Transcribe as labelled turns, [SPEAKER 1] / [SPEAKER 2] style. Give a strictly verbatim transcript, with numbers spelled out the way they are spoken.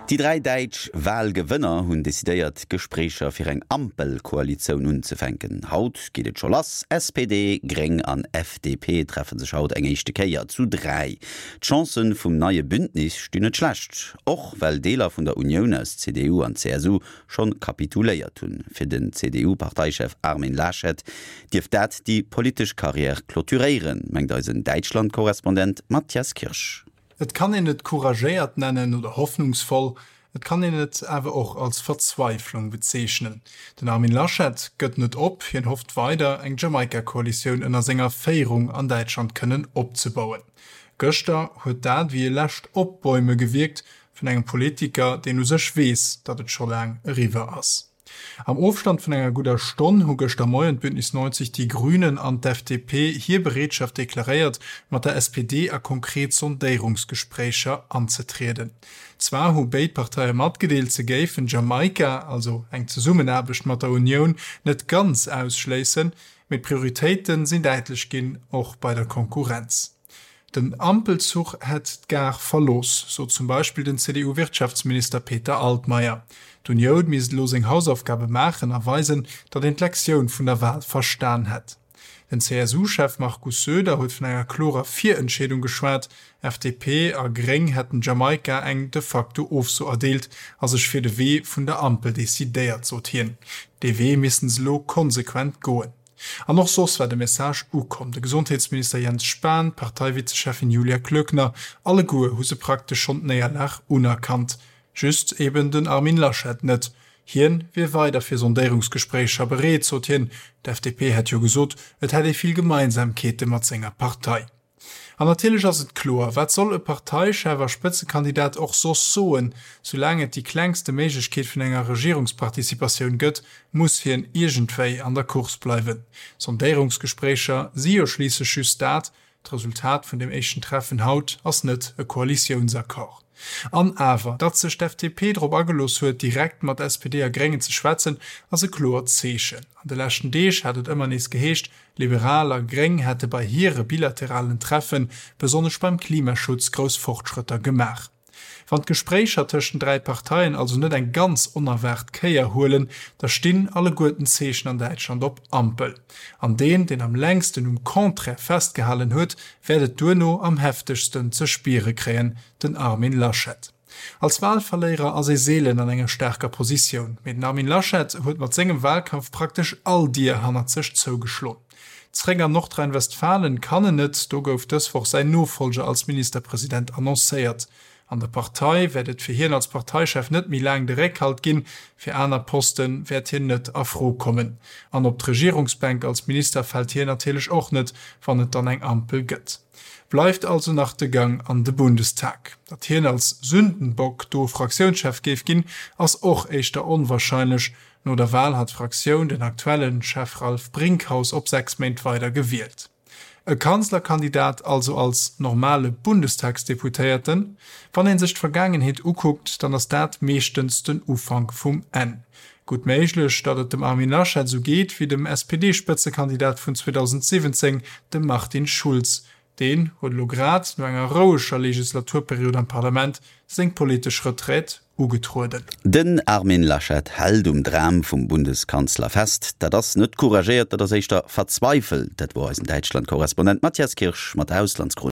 [SPEAKER 1] Déi dräi däitsch Walgewënner hunn decidéiert, Gespréicher fir eng Ampelkoalitioun unzefänken. Haut geet et scho lass, S P D, Gréng an F D P treffe sech haut eng éischte Kéier zu dräi. D'Chancë vum neie Bündnis stinn net schlecht, och well Deeler vun der Unioun aus C D U an C S U schonn kapituléiert hunn. Fir den C D U-Parteichef Armin Laschet dierft dat déi politesch Karriär clôturéieren, mengt eisen Däitschland-Korrespondent Matthias Kirsch.
[SPEAKER 2] Et kann een et couragéiert nennen oder hoffnungsvoll, et kann een et awer och als Verzweiflung bezeechnen. Den Armin Laschet gëtt net op, hien hofft weider, eng Jamaika-Koalitioun ënner senger Féierung an Däitschland kënnen opzebauen. Gëschter huet dat wéi e lescht Opbäume gewierkt vun engem Politiker, deen u sech weess, datt et scho laang eriwwer ass. Am Ofstand vun enger gudder Stonn hu gëschter Moien d'Bündnis neunzeg Die Grünen an d'F D P hir Bereetschaft deklaréiert, mat der S P D a konkret Sondéierungsgespréicher anzetrieden. Zwar hu béid Parteie matgedeelt, se géifen Jamaika, also eng Zesummenaarbecht mat der Unioun, net ganz ausschléissen, mee d'Prioritéite sinn däitlech ginn, och bei der Konkurrenz. Den Ampelzuch hätt d'Gare verlooss, sot zum Beispill den C D U-Wirtschaftsminister Peter Altmaier. D'Unioun misst elo seng Hausaufgabe maachen a weisen, datt een d'Lektioun vun der Wal verstan hätt. Den C S U-Chef Markus Söder huet vun enger klorer Virentscheedung geschwat, F D P a Gréng hätten Jamaika eng de facto Ofso erdeelt a sech fir de Wee vun der Ampel decidéiert, sot hien. Dee Wee missten se elo konsequent goen. An och soss war de Message ukomm. De Gesondheetsminister Jens Spahn, d'Parteivizecheffin Julia Klöckner, alleguer hu se praktesch schonn d'Néierlag unerkannt. Just eben den Armin Laschet net. Hien wier weider fir Sondéierungsgespréicher bereet, sot hien. D'F D P hätt jo gesot, et hätt ee vill Gemeinsamkeete mat senger Partei. An natierlech ass et kloer, wat soll e Parteichef a Spëtzekandidat och soss soen? Soulaang et déi klengste Méiglechkeet vun enger Regierungsparticipatioun gëtt, muss hien iergendwéi an der Course bleiwen. Sondéierungsgespréicher si jo schliisslech just dat, d'Resultat vun dem éischten Treffen haut ass net e Koalitiounsaccord. An awer, datt sech d'F D P drop agelooss huet, direkt mat S P D a Gréngen ze schwätzen, ass e kloert Zeechen. An de leschten Deeg hat et ëmmer nees geheescht, Liberal a Gréng hätte bei hire bilateralen Treffen, besonnesch beim Klimaschutz, grouss Fortschrëtter gemaach. Wann d'Gespréicher tëscht den dräi Parteien also net eng ganz onerwaart Kéier huelen, da stinn alleguerten d'Zeechen an Däitschland op Ampel. An deen, deen am längsten um Contraire festgehalen huet, wäert et duerno am heftegsten ze spiere kréien, den Armin Laschet. Als Walverléierer ass ee seelen an enger staarker Positioun, mee den Armin Laschet huet mat sengem Walkampf praktesch all Dier hannert sech zougeschloen. Zréck an Nordrhein-Westfalen kann en net, do gouf dës Woch säin Nofollger als Ministerpresident annoncéiert. An der Partei wäert et fir hien als Parteichef net méi laang de Réckhalt ginn, fir aner Poste wäert hien net a Fro kommen. An op d'Regierungsbänk als Minister fält hien natierlech och net, wann et dann eng Ampel gëtt. Bleift also nach de Gang an de Bundestag. Datt hien als Sündenbock do Fraktiounschef géif ginn, ass och éischter onwarscheinlech. No der Wal hat d'Fraktioun den aktuelle Chef Ralph Brinkhaus op sechs Méint weider gewielt. E Kanzlerkandidat also als normale Bundestagsdeputéierten? Wann ee sech d'Vergaangenheet ukuckt, dann ass dat meeschtens den Ufank vum Enn. Gutt méiglech, datt et dem Armin Laschet esou geet wéi dem S P D-Spëtzekandidat vun zweedausendsiwwenzéng, dem Martin Schulz. Deen huet elo grad, no enger roueger Legislaturperiod am Parlament, seng politesch Retraite ugetrueden.
[SPEAKER 1] Den Armin Laschet hält um Dram vum Bundeskanzler fest. Dat ass net couragéiert, dat ass éischter verzweifelt. Dat wor eisen Däitschland-Korrespondent Matthias Kirsch mat der Auslandschronik.